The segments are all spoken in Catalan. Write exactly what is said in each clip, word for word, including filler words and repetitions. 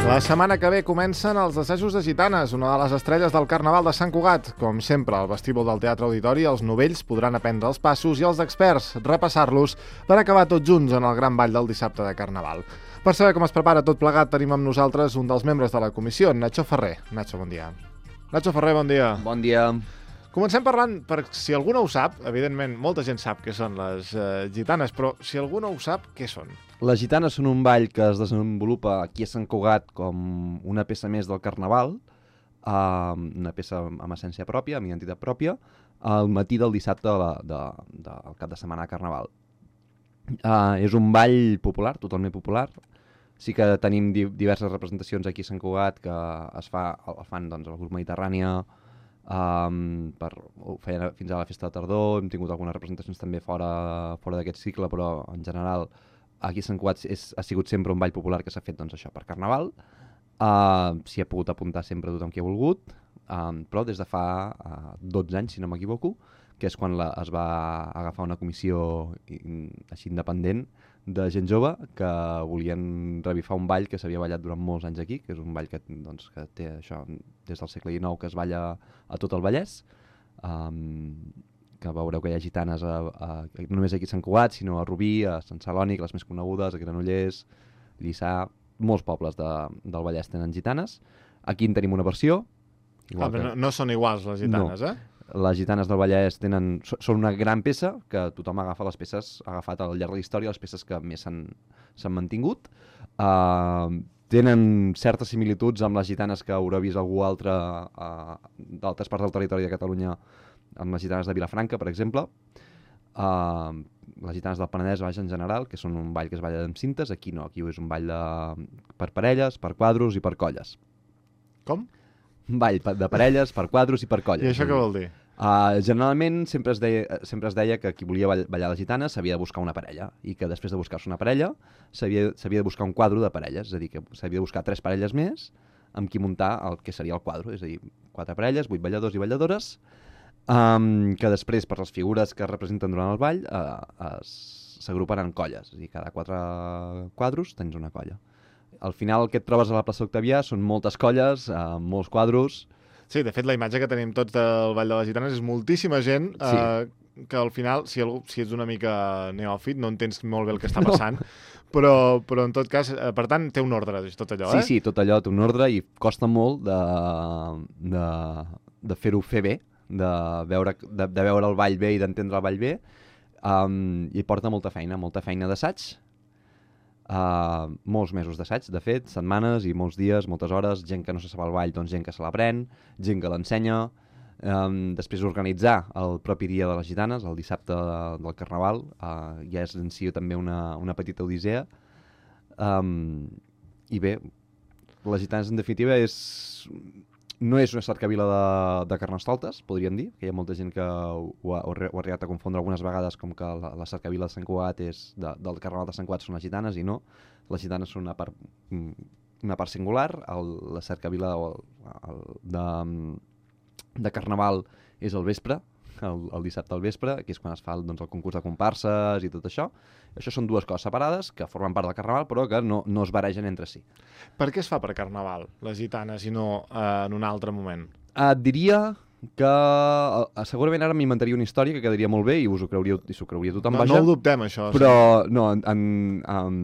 La setmana que ve comencen els assajos de Gitanes, una de les estrelles del Carnaval de Sant Cugat. Com sempre, al vestíbul del Teatre Auditori, els novells podran aprendre els passos i els experts repassar-los per acabar tots junts en el gran ball del dissabte de Carnaval. Per saber com es prepara tot plegat, tenim amb nosaltres un dels membres de la comissió, Nacho Ferrer. Nacho, bon dia. Nacho Ferrer, bon dia. Bon dia. Comencem parlant, per si algú no ho sap, evidentment molta gent sap què són les uh, gitanes, però si algú no ho sap, què són? Les gitanes són un ball que es desenvolupa aquí a Sant Cugat com una peça més del Carnaval, uh, una peça amb essència pròpia, amb identitat pròpia, al matí del dissabte de la, de, de, del cap de setmana de Carnaval. Uh, és un ball popular, totalment popular. Sí que tenim di diverses representacions aquí a Sant Cugat que es fa, el fan doncs, el grup Mediterrània, Um, per, ho feien fins a la festa de tardor, hem tingut algunes representacions també fora, fora d'aquest cicle, però en general aquí a Sant Cugat és, ha sigut sempre un ball popular que s'ha fet doncs, això per Carnaval. Uh, S'hi ha pogut apuntar sempre tothom qui ha volgut, um, però des de fa uh, dotze anys, si no m'equivoco, que és quan la, es va agafar una comissió in, així independent de gent jove que volien revifar un ball que s'havia ballat durant molts anys aquí, que és un ball que, doncs, que té això des del segle dinou, que es balla a tot el Vallès, um, que veureu que hi ha gitanes a, a, no només aquí a Sant Cugat, sinó a Rubí, a Sant Celoni, les més conegudes, a Granollers, Lliçà, molts pobles de, del Vallès tenen gitanes. Aquí en tenim una versió. Ah, que... no, no són iguals les gitanes, no. eh? Les gitanes del Vallès tenen, són una gran peça que tothom agafa les peces, ha agafat al llarg de la història les peces que més s'han mantingut. Uh, tenen certes similituds amb les gitanes que haurà vist algú altre uh, d'altres parts del territori de Catalunya, amb les gitanes de Vilafranca, per exemple. Uh, les gitanes del Penedès, vaja, en general, que són un ball que es balla amb cintes. Aquí no, aquí és un ball de, per parelles, per quadros i per colles. Com? Un ball de parelles, per quadros i per colles. I això què vol dir? Uh, generalment sempre es, deia, sempre es deia que qui volia ballar les gitanes s'havia de buscar una parella i que després de buscar-se una parella s'havia de buscar un quadro de parelles, és a dir, que s'havia de buscar tres parelles més amb qui muntar el que seria el quadro, és a dir, quatre parelles, vuit balladors i balladores, um, que després, per les figures que es representen durant el ball, uh, s'agrupen en colles, és a dir, cada quatre quadros tens una colla. Al final el que et trobes a la plaça Octavià són moltes colles, uh, molts quadros. Sí, de fet la imatge que tenim tots del Ball de les Gitanes és moltíssima gent eh, sí. que al final, si, algú, si ets una mica neòfit, no entens molt bé el que està passant, no. però, però en tot cas, eh, per tant, té un ordre, tot allò, sí, eh? Sí, sí, tot allò té un ordre i costa molt de, de, de fer-ho fer bé, de veure, de, de veure el ball bé i d'entendre el ball bé, um, i porta molta feina, molta feina d'assaig. Uh, molts mesos d'assaig, de fet, setmanes i molts dies, moltes hores, gent que no se sap el ball, doncs gent que se l'aprèn, gent que l'ensenya, um, després organitzar el propi dia de les gitanes, el dissabte del Carnaval, uh, ja és en si també una, una petita odissea, um, i bé, les gitanes en definitiva és... no és una cercavila de, de Carnestoltes, podríem dir, que hi ha molta gent que ho, ho, ha, ho ha arribat a confondre algunes vegades com que la, la cercavila de Sant Cugat és de, del Carnaval de Sant Cugat són les gitanes, i no, les gitanes són una part, una part singular, el, la cercavila el, el, de, de Carnaval és el vespre, el, el dissabte al vespre, que és quan es fa doncs, el concurs de comparses i tot això. Això són dues coses separades que formen part del Carnaval però que no, no es baregen entre si. Per què es fa per Carnaval, les gitanes, i no eh, en un altre moment? Et diria que uh, segurament ara m'inventaria una història que quedaria molt bé i us ho creuria, i s'ho creuria tothom, no, vaja. No ho dubtem, això. Però, sí. no, en, en, en,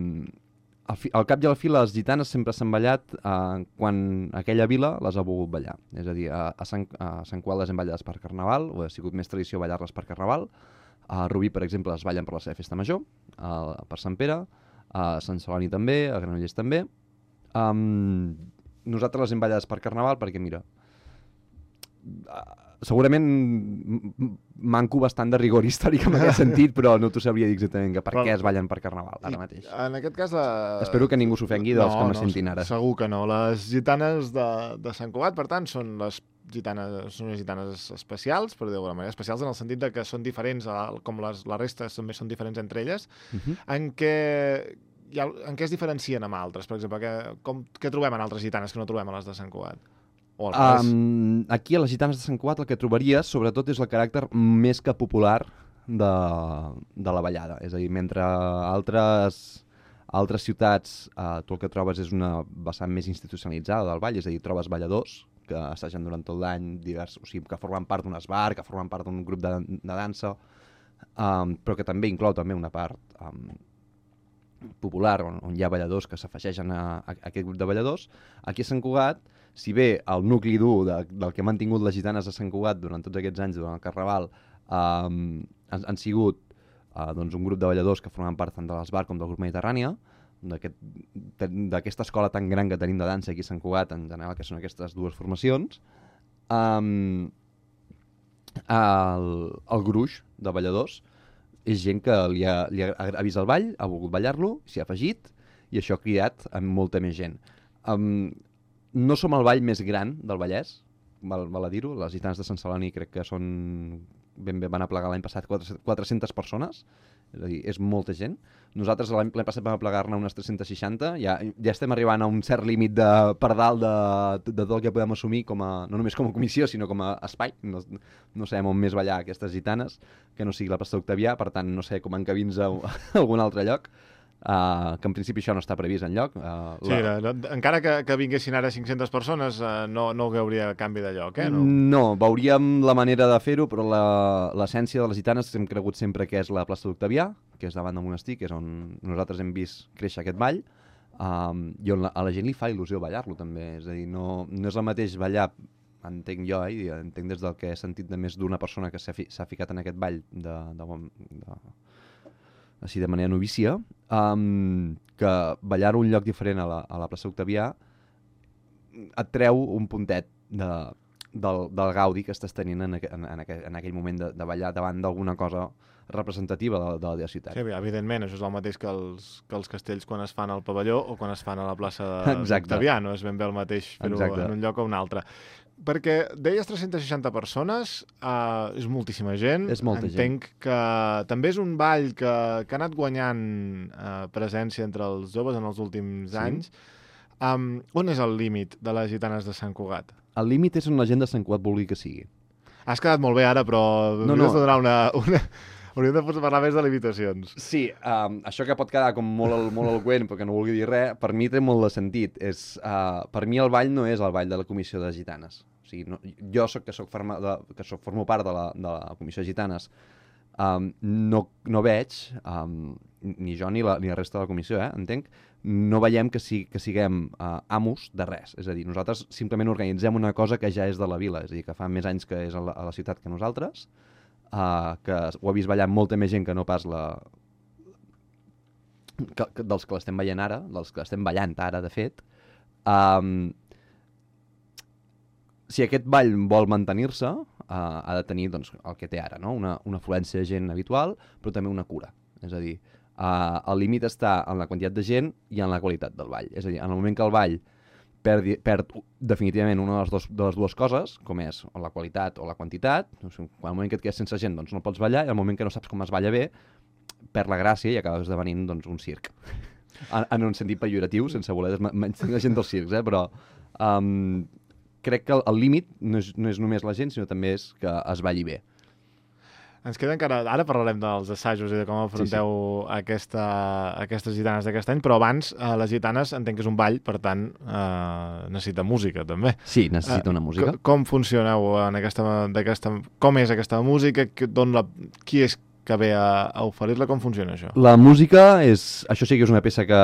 al, fi, al cap i a la fi les gitanes sempre s'han ballat uh, quan aquella vila les ha volgut ballar. És a dir, a, a, Sant, a Sant Cugat les hem ballades per Carnaval, o ha sigut més tradició ballar-les per Carnaval. A Rubí, per exemple, es ballen per la seva festa major, a, per Sant Pere, a Sant Celoni també, a Granollers també. Um, nosaltres les hem ballades per Carnaval perquè, mira, segurament manco bastant de rigor històric en aquest sentit, però no t'ho sabria dir exactament que per però, què es ballen per Carnaval ara mateix. En aquest cas... La... Espero que ningú s'ofengui dels no, que no, sentin ara. Segur que no. Les gitanes de, de Sant Cugat, per tant, són les gitanes, són unes gitanes especials, per dir d'alguna manera, especials en el sentit de que són diferents, com les, la resta també són diferents entre elles, uh-huh. en què... Ha, en què es diferencien amb altres, per exemple? Que, com, què trobem en altres gitanes que no trobem a les de Sant Cugat? O al revés? Um, aquí a les Gitanes de Sant Cugat el que trobaries sobretot és el caràcter més que popular de, de la ballada. És a dir, mentre altres, altres ciutats uh, tu el que trobes és una vessant més institucionalitzada del ball, és a dir, trobes balladors que assagen durant tot l'any, divers, o sigui, que formen part d'un esbar, que formen part d'un grup de, de dansa, um, però que també inclou també una part um, popular, on, on hi ha balladors que s'afegeixen a, a, a aquest grup de balladors. Aquí a Sant Cugat, si bé el nucli dur de, del que han mantingut les Gitanes de Sant Cugat durant tots aquests anys, durant el Carnaval, um, han, han sigut uh, doncs un grup de balladors que formen part tant de l'Esbar com del grup Mediterrània, d'aquesta aquest, escola tan gran que tenim de dansa aquí a Sant Cugat, en general, que són aquestes dues formacions. Um, el, el gruix de balladors és gent que li ha, li ha, ha vist el ball, ha volgut ballar-lo, s'hi ha afegit, i això ha criat amb molta més gent. Um, no som el ball més gran del Vallès, val, val a dir-ho, les Gitanes de Sant Celoni crec que són, ben bé van aplegar l'any passat quatre-centes persones, és a dir, és molta gent. Nosaltres l'any passat vam aplegar-ne unes tres-centes seixanta, ja, ja estem arribant a un cert límit de, per dalt de, de tot el que podem assumir, com a, no només com a comissió, sinó com a espai. No, no sabem on més ballar aquestes Gitanes, que no sigui la plaça d'Octavià, per tant no sé com encabins a, a algun altre lloc. Uh, que en principi això no està previst enlloc. Uh, sí, la... no, encara que, que vinguessin ara cinc-centes persones, uh, no, no hi hauria canvi de lloc, eh? No, no veuríem la manera de fer-ho, però l'essència de les Gitanes hem cregut sempre que és la plaça d'Octavià, que és davant del monestir, que és on nosaltres hem vist créixer aquest ball, um, i on la, a la gent li fa il·lusió ballar-lo també. És a dir, no, no és el mateix ballar, entenc jo, eh, entenc des del que he sentit de més d'una persona que s'ha fi, ficat en aquest ball de, de, de, així de manera novícia, um, que ballar un lloc diferent a la, a la plaça Octavià et treu un puntet de, del, del gaudi que estàs tenint en, aqu en, en, aqu en aquell moment de, de ballar davant d'alguna cosa representativa de, de la ciutat. Sí, evidentment, això és el mateix que els, que els castells quan es fan al pavelló o quan es fan a la plaça d'Octavià, no és ben bé el mateix fer-ho en un lloc o un altre. Perquè deies tres-centes seixanta persones, uh, és moltíssima gent. És molta Entenc gent. que també és un ball que, que ha anat guanyant uh, presència entre els joves en els últims sí. anys. Um, on és el límit de les Gitanes de Sant Cugat? El límit és on la gent de Sant Cugat vulgui que sigui. Has quedat molt bé ara, però no, no. de donar una... una... Hauríem de parlar més de limitacions. Sí, um, això que pot quedar com molt, molt eloqüent, però que no vulgui dir res, per mi té molt de sentit. És, uh, per mi el ball no és el ball de la Comissió de Gitanes. O sigui, no, jo soc, que, soc forma, de, que soc, formo part de la, de la Comissió de Gitanes, um, no, no veig, um, ni jo ni la, ni la resta de la comissió, eh, entenc, no veiem que, si, que siguem uh, amos de res. És a dir, nosaltres simplement organitzem una cosa que ja és de la vila, és a dir, que fa més anys que és a la, a la ciutat que nosaltres, Uh, que ho ha vist ballar molta més gent que no pas la... Que, que, dels que l'estem veient ara, dels que l'estem ballant ara, de fet. Um, si aquest ball vol mantenir-se, uh, ha de tenir doncs, el que té ara, no? una, una afluència de gent habitual, però també una cura. És a dir, uh, el límit està en la quantitat de gent i en la qualitat del ball. És a dir, en el moment que el ball perd, perd definitivament una de les, dos, de les dues coses, com és o la qualitat o la quantitat. O sigui, quan el moment que et quedes sense gent doncs no pots ballar, i el moment que no saps com es balla bé, perd la gràcia i acaba esdevenint doncs, un circ. En, en un sentit pejoratiu, sense voler menys la gent dels circs, eh? Però um, crec que el, el límit no és, no és només la gent, sinó també és que es balli bé. Ens queda encara... Ara parlarem dels assajos i de com afronteu sí, sí. Aquesta, aquestes Gitanes d'aquest any, però abans eh, les Gitanes entenc que és un ball, per tant eh, necessita música també. Sí, necessita una música. Eh, com funcioneu en aquesta, aquesta... Com és aquesta música? D'on la... Qui és que ve a, a oferir-la? Com funciona això? La música és... Això sí que és una peça que...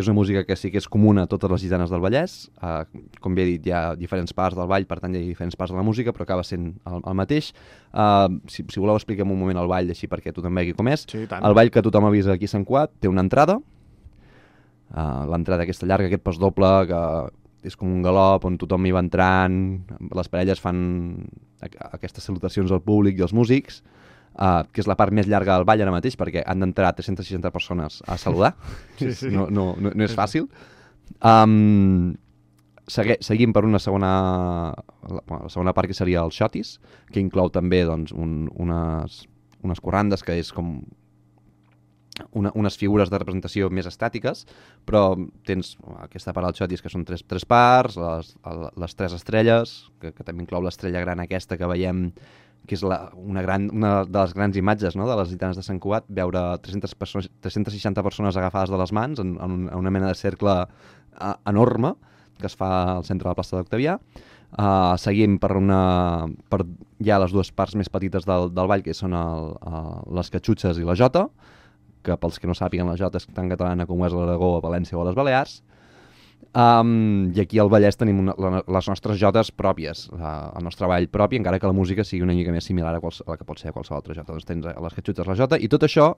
És una música que sí que és comuna a totes les Gitanes del Vallès. Uh, com bé he dit, hi ha diferents parts del ball, per tant hi ha diferents parts de la música, però acaba sent el, el mateix. Uh, si, si voleu expliquem un moment el ball, així perquè tothom vegi com és. Sí, el ball que tothom ha vist aquí a Sant Cugat té una entrada. Uh, L'entrada aquesta llarga, aquest pas doble, que és com un galop on tothom hi va entrant. Les parelles fan aquestes salutacions al públic i als músics. Uh, que és la part més llarga del ball ara mateix, perquè han d'entrar tres-centes seixanta persones a saludar. Sí, sí. No, no, no, no és fàcil. Um, segue, seguim per una segona, la, la segona part, que seria el xotis, que inclou també doncs, un, unes, unes corrandes, que és com una, unes figures de representació més estàtiques, però tens aquesta part del xotis que són tres, tres parts, les, les tres estrelles, que, que també inclou l'estrella gran aquesta que veiem, que és la, una, gran, una de les grans imatges, no?, de les gitanes de Sant Cugat, veure tres-centes persones, tres-centes seixanta persones agafades de les mans en, en, un, en una mena de cercle uh, enorme que es fa al centre de la plaça d'Octavià. Uh, seguim per, una, per ja les dues parts més petites del, del ball, que són el, uh, les catxutxes i la jota, que pels que no sàpiguen la jota és tan catalana com és l'Aragó, a València o a les Balears. Um, I aquí al Vallès tenim una, la, les nostres jotes pròpies, la, el nostre ball propi, encara que la música sigui una mica més similar a, quals, a la que pot ser a qualsevol altra jota. Doncs tens les catxutxes, la jota, i tot això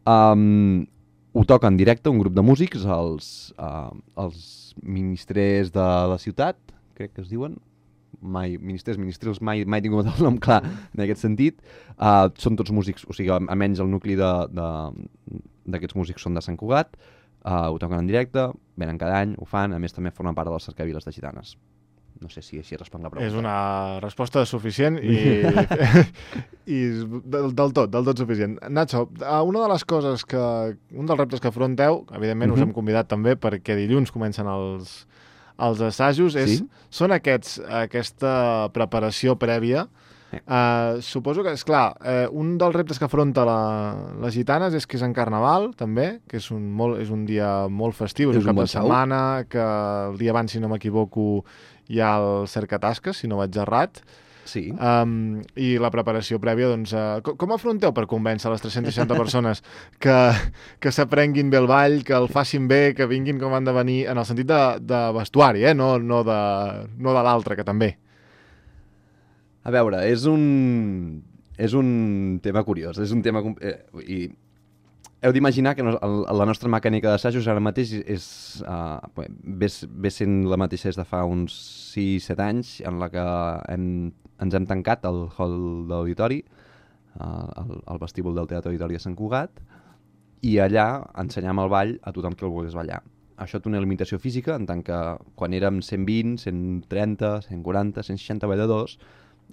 um, ho toca en directe un grup de músics, els, uh, els ministres de la ciutat, crec que es diuen, mai, ministres, ministrils, mai, mai he tingut el nom clar en aquest sentit. Uh, són tots músics, o sigui, almenys el nucli d'aquests músics són de Sant Cugat, uh, ho toquen en directe, venen cada any, ho fan, a més també formen part de les cercaviles de gitanes. No sé si així responc la pregunta. És una resposta suficient i, i del, del tot, del tot suficient. Nacho, una de les coses que, un dels reptes que afronteu, evidentment uh-huh. us hem convidat també perquè dilluns comencen els els assajos, és, sí? són aquests, aquesta preparació prèvia. Eh. Uh, suposo que, és clar, uh, un dels reptes que afronta la, les gitanes és que és en Carnaval, també, que és un, molt, és un dia molt festiu, és, és un cap de setmana, que el dia abans, si no m'equivoco, hi ha el cercatasques, si no vaig errat. Sí. Um, I la preparació prèvia, doncs, uh, com, com afronteu per convèncer les tres-centes seixanta persones que, que s'aprenguin bé el ball, que el facin bé, que vinguin com han de venir, en el sentit de, de vestuari, eh? no, no de, no de l'altre, que també. A veure, és un, és un tema curiós, és un tema... Eh, i heu d'imaginar que no, el, la nostra mecànica d'assajos ara mateix és, uh, ve, ve sent la mateixa des de fa uns sis set anys, en la que hem, ens hem tancat al hall de l'auditori, uh, al, al vestíbul del Teatre Auditori de Sant Cugat, i allà ensenyam el ball a tothom que el volgués ballar. Això té una limitació física, en tant que quan érem cent vint, cent trenta, cent quaranta, cent seixanta balladors,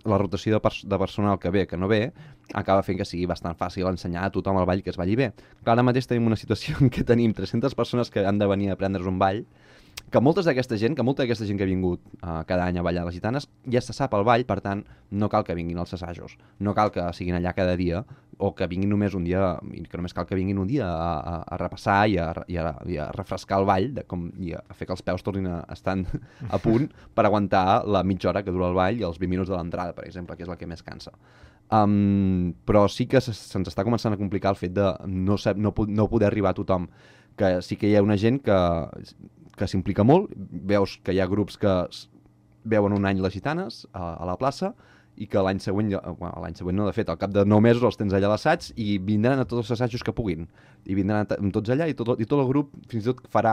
la rotació de, pers de personal que ve, que no ve, acaba fent que sigui bastant fàcil ensenyar a tothom el ball que es balli bé. Clar, ara mateix tenim una situació en què tenim tres-centes persones que han de venir a aprendre's un ball, que moltes d'aquesta gent, que molta d'aquesta gent que ha vingut uh, cada any a ballar les gitanes, ja se sap el ball, per tant, no cal que vinguin als assajos, no cal que siguin allà cada dia, o que vinguin només un dia, que només cal que vinguin un dia a, a, a repassar i a, i, a, i a refrescar el ball, de com, i a fer que els peus tornin a estar a punt per aguantar la mitja hora que dura el ball i els vint minuts de l'entrada, per exemple, que és el que més cansa. Um, però sí que se'ns està començant a complicar el fet de no, ser, no, no poder arribar a tothom, que sí que hi ha una gent que, que s'implica molt, veus que hi ha grups que veuen un any les gitanes a, a la plaça, i que l'any següent, bueno, l'any següent no, de fet, al cap de nou mesos els tens allà a l'assaig i vindran a tots els assajos que puguin. I vindran amb tots allà i tot, i tot el grup fins i tot farà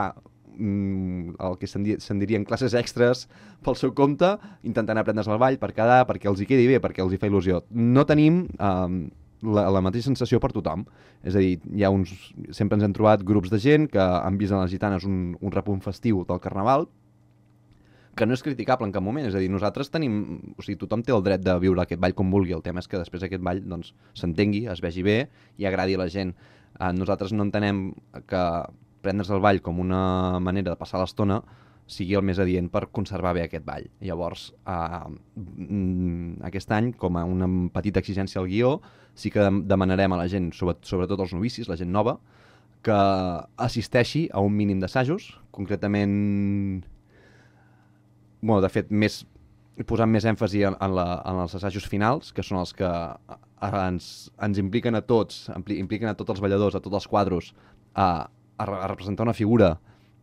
mm, el que se'n di dirien classes extres pel seu compte, intentant aprendre's el ball per quedar, perquè els hi quedi bé, perquè els hi fa il·lusió. No tenim um, la, la mateixa sensació per tothom. És a dir, hi ha uns, sempre ens hem trobat grups de gent que han vist en les gitanes un, un repunt festiu del Carnaval, que no és criticable en cap moment, és a dir, nosaltres tenim, o sigui, tothom té el dret de viure aquest ball com vulgui, el tema és que després aquest ball doncs s'entengui, es vegi bé i agradi a la gent. Eh, nosaltres no entenem que prendre's el ball com una manera de passar l'estona sigui el més adient per conservar bé aquest ball. Llavors, eh, aquest any, com a una petita exigència al guió, sí que demanarem a la gent, sobretot als novicis, la gent nova, que assisteixi a un mínim d'assajos, concretament... Bueno, de fet, més, posant més èmfasi en, en, la, en els assajos finals, que són els que ens, ens impliquen a tots, impliquen a tots els balladors, a tots els quadros, a, a, a representar una figura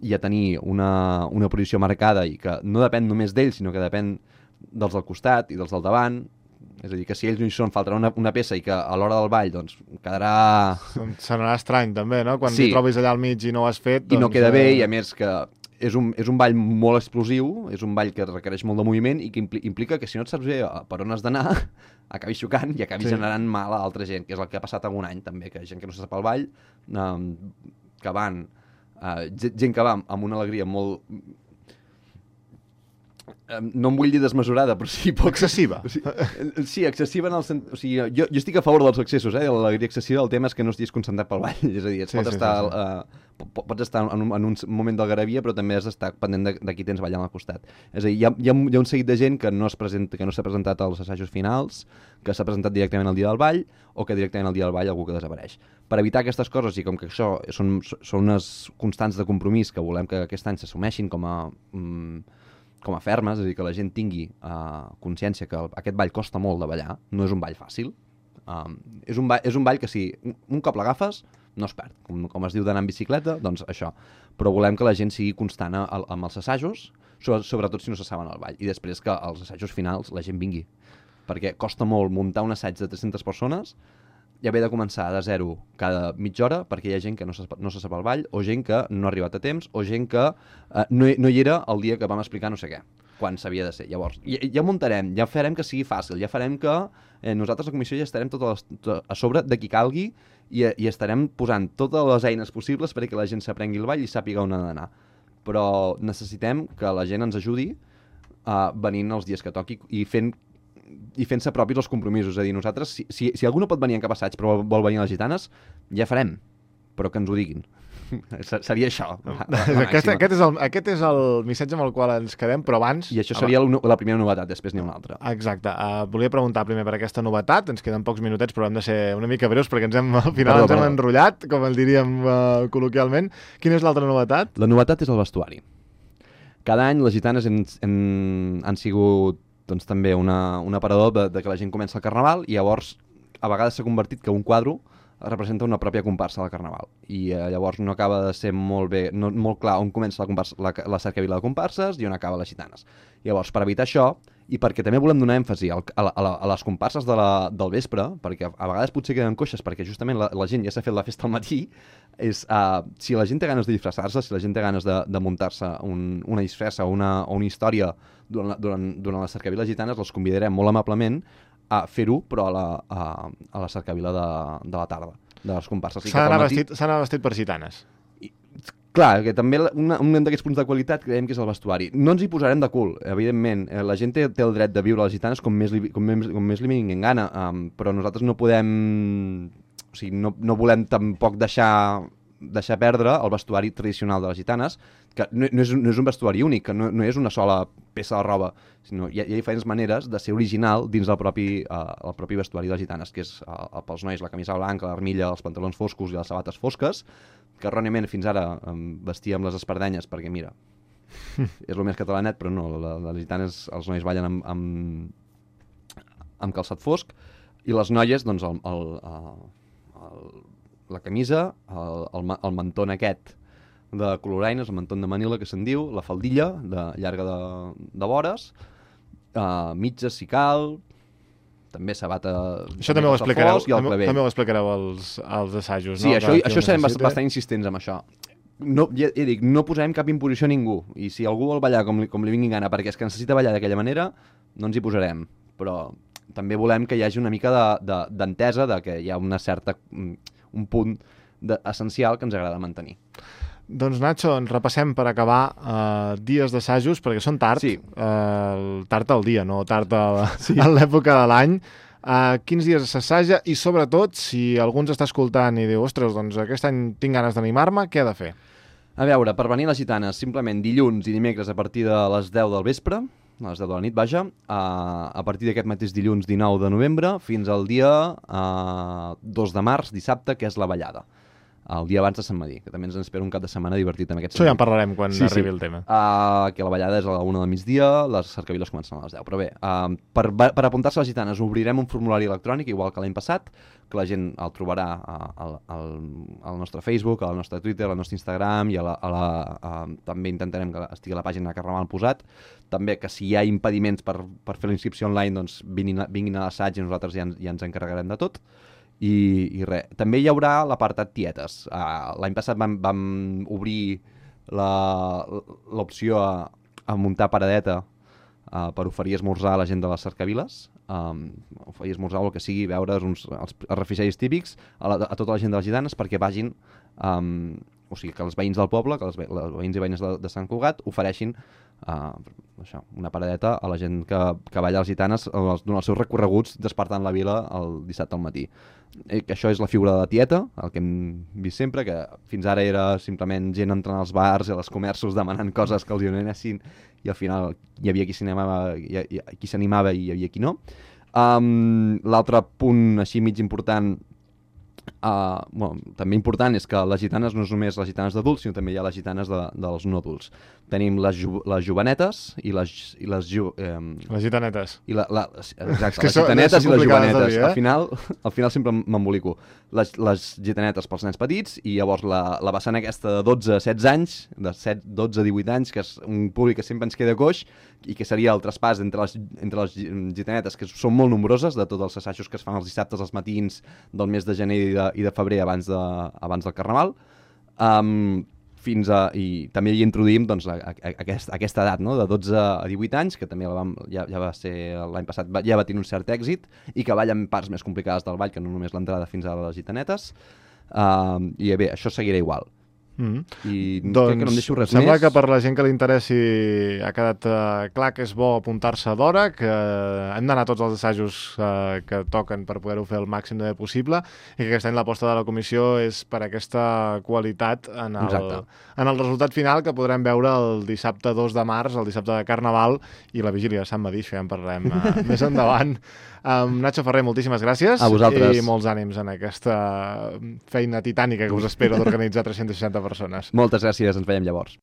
i a tenir una, una posició marcada i que no depèn només d'ells, sinó que depèn dels del costat i dels del davant. És a dir, que si ells no hi són, faltarà una, una peça i que a l'hora del ball doncs, quedarà... Sonarà estrany, també, no? Quan sí. t'hi trobis allà al mig i no ho has fet... Doncs... I no queda bé, i a més que... És un, és un ball molt explosiu, és un ball que requereix molt de moviment i que impli implica que si no et saps bé per on has d'anar, acabis xocant i acabis sí. generant mal a altra gent, que és el que ha passat algun any també, que gent que no se sap el ball, um, que van, uh, gent que va amb una alegria molt... no em vull dir desmesurada, però sí poc... Excessiva. Sí, sí, excessiva en el sentit... O sigui, jo, jo estic a favor dels excessos, eh? L'alegria excessiva, el tema és que no estiguis concentrat pel ball. És a dir, et sí, pot sí, estar, sí, sí. Uh, pots estar en un, en un moment d'algarabia, però també has d'estar pendent de, de qui tens ballant al costat. És a dir, hi ha, hi ha, hi ha un seguit de gent que no es presenta, que no s'ha presentat als assajos finals, que s'ha presentat directament al dia del ball, o que directament al dia del ball algú que desapareix. Per evitar aquestes coses, i com que això són, són unes constants de compromís que volem que aquest any s'assumeixin com a... Um, com a fermes, és a dir, que la gent tingui uh, consciència que el, aquest ball costa molt de ballar, no és un ball fàcil. Um, és, un ball, és un ball que si un, un cop l'agafes, no es perd. Com, com es diu d'anar en bicicleta, doncs això. Però volem que la gent sigui constant a, a, amb els assajos, so, sobretot si no se saben el ball. I després que als assajos finals la gent vingui. Perquè costa molt muntar un assaig de tres-centes persones i haver de començar de zero cada mitja hora perquè hi ha gent que no se, no se sap el ball, o gent que no ha arribat a temps, o gent que eh, no, no hi era el dia que vam explicar no sé què, quan s'havia de ser. Llavors, ja, ja muntarem, ja farem que sigui fàcil, ja farem que eh, nosaltres a la comissió ja estarem tot a, tot a sobre de qui calgui i, i estarem posant totes les eines possibles perquè la gent s'aprengui el ball i sàpiga on ha d'anar. Però necessitem que la gent ens ajudi uh, venint els dies que toqui i fent i fent-se propis els compromisos. És a dir, nosaltres, si, si, si algú no pot venir en cap assaig però vol venir a les gitanes, ja farem, però que ens ho diguin. Seria això. Aquest, aquest, és el, aquest és el missatge amb el qual ens quedem, però abans... I això seria la, la primera novetat, després n'hi ha una altra. Exacte. Uh, volia preguntar primer per aquesta novetat, ens queden pocs minutets, però hem de ser una mica breus perquè ens hem, al final perdó, ens hem perdó. enrotllat, com el diríem uh, col·loquialment. Quina és l'altra novetat? La novetat és el vestuari. Cada any les gitanes han, han, han sigut doncs també una, un aparador de, de que la gent comença el carnaval i llavors a vegades s'ha convertit que un quadre representa una pròpia comparsa del carnaval i eh, llavors no acaba de ser molt bé, no, molt clar on comença la, comparsa, la, la cercavila de comparses i on acaba les gitanes. Llavors, per evitar això, i perquè també volem donar èmfasi al, a, la, a, la, a les comparses de la, del vespre, perquè a vegades potser queden coixes perquè justament la, la gent ja s'ha fet la festa al matí, és uh, si la gent té ganes de disfressar-se, si la gent té ganes de, de muntar-se un, una disfressa o una, o una història durant, la, durant, durant la cercavila gitanes, els convidarem molt amablement a fer-ho, però a la, a, a la cercavila de, de la tarda, de les comparses. S'ha d'anar matí... vestit, vestit per gitanes. I, clar, que també una, un d'aquests punts de qualitat creiem que és el vestuari. No ens hi posarem de cul, evidentment. Eh, la gent té, té el dret de viure a les gitanes com més li, com més, com més li vingui en gana, um, però nosaltres no podem... O sigui, no, no volem tampoc deixar, deixar perdre el vestuari tradicional de les gitanes, que no, no, és, no és un vestuari únic, que no, no és una sola peça de roba, sinó hi ha, hi ha diferents maneres de ser original dins del propi, uh, el propi vestuari de les gitanes, que és uh, pels nois la camisa blanca, l'armilla, els pantalons foscos i les sabates fosques, que erròniament fins ara um, vestíem les espardenyes perquè, mira, és el més catalanet, però no, la, les gitanes, els nois ballen amb, amb, amb calçat fosc, i les noies, doncs, el, el, el, el, la camisa, el, el, el mantón aquest de coloraines, el mantón de Manila que se'n diu, la faldilla de, llarga de, de vores, uh, mitges si cal, també sabata... Això també ho explicareu, també, també ho explicareu als, als assajos, sí, no? Sí, això, això serem bastant insistents amb això. No, ja, ja dic, no posarem cap imposició a ningú, i si algú vol ballar com li, com li vingui gana perquè és que necessita ballar d'aquella manera, no ens hi posarem, però també volem que hi hagi una mica d'entesa de, de, de que hi ha una certa, un punt de, essencial que ens agrada mantenir. Doncs Nacho, ens repassem per acabar uh, dies d'assajos, perquè són tard, sí. uh, tard al dia, no tard a, sí. a l'època de l'any. Uh, quins dies s'assaja i sobretot, si algú ens està escoltant i diu, ostres, doncs aquest any tinc ganes d'animar-me, què ha de fer? A veure, per venir a les gitanes, simplement dilluns i dimecres a partir de les deu del vespre, a les deu de la nit, vaja, uh, a partir d'aquest mateix dilluns dinou de novembre fins al dia uh, dos de març, dissabte, que és la ballada. El dia abans de Sant Madí, que també ens espera un cap de setmana divertit en aquest sentit. Això ja en parlarem quan sí, arribi sí. el tema. Uh, que la ballada és a la una del migdia, les cercaviles comencen a les deu. Però bé, uh, per, per apuntar-se a les gitanes obrirem un formulari electrònic, igual que l'any passat, que la gent el trobarà uh, al, al, al nostre Facebook, al nostre Twitter, al nostre Instagram, i a la, a la, uh, també intentarem que estigui a la pàgina de Carnaval posat. També que si hi ha impediments per, per fer la inscripció online, doncs vinguin a, vinguin a l'assaig i nosaltres ja, ja ens encarregarem de tot. I, i res. També hi haurà l'apartat tietes. Uh, L'any passat vam, vam obrir l'opció a, a muntar paradeta uh, per oferir esmorzar a la gent de les cercaviles, um, oferir esmorzar o el que sigui, veure uns, els, els refrigeris típics a, la, a tota la gent de les gitanes perquè vagin um, o sigui, que els veïns del poble, que els, ve els veïns i veïnes de, de Sant Cugat ofereixin uh, això, una paradeta a la gent que, que balla les gitanes durant els seus recorreguts despertant la vila el dissabte al matí. I que això és la figura de la tieta, el que hem vist sempre, que fins ara era simplement gent entrant als bars i als comerços demanant coses que els donessin i al final hi havia qui s'animava i, i, qui s'animava i hi havia qui no. Um, L'altre punt així mig important, uh, bueno, també important, és que les gitanes no és només les gitanes d'adults, sinó també hi ha les gitanes de, dels no adults. Tenim les, ju les jovenetes i les... I les, ju eh, les gitanetes. I la, la, exacte, les gitanetes i les jovenetes. Dir, eh? Al final, al final sempre m'embolico. Les, les gitanetes pels nens petits i llavors la, la vessant aquesta de dotze a setze anys, de set, dotze a divuit anys, que és un públic que sempre ens queda coix i que seria el traspàs entre les, entre les gitanetes, que són molt nombroses, de tots els assajos que es fan els dissabtes, els matins del mes de gener i de, i de febrer abans, de, abans del Carnaval. Um, fins a, i també hi introduïm doncs, a, a, a, aquest, a aquesta edat, no? De dotze a divuit anys, que també la vam, ja, ja va ser l'any passat, ja va tenir un cert èxit, i que ballen parts més complicades del ball, que no només l'entrada fins a les gitanetes. Uh, I bé, això seguirà igual. Mm. I doncs, crec que no em deixo res sembla més. Que per la gent que li interessi ha quedat uh, clar que és bo apuntar-se d'hora, que hem d'anar a tots els assajos uh, que toquen per poder-ho fer el màxim de bé possible i que aquest any l'aposta de la comissió és per aquesta qualitat en el, en el resultat final que podrem veure el dissabte dos de març, el dissabte de Carnaval i la vigília de Sant Madí, això ja en parlarem uh, més endavant. Um, Nacho Ferrer, moltíssimes gràcies. A vosaltres. I molts ànims en aquesta feina titànica que us espera d'organitzar tres-centes seixanta persones. Moltes gràcies, ens veiem llavors.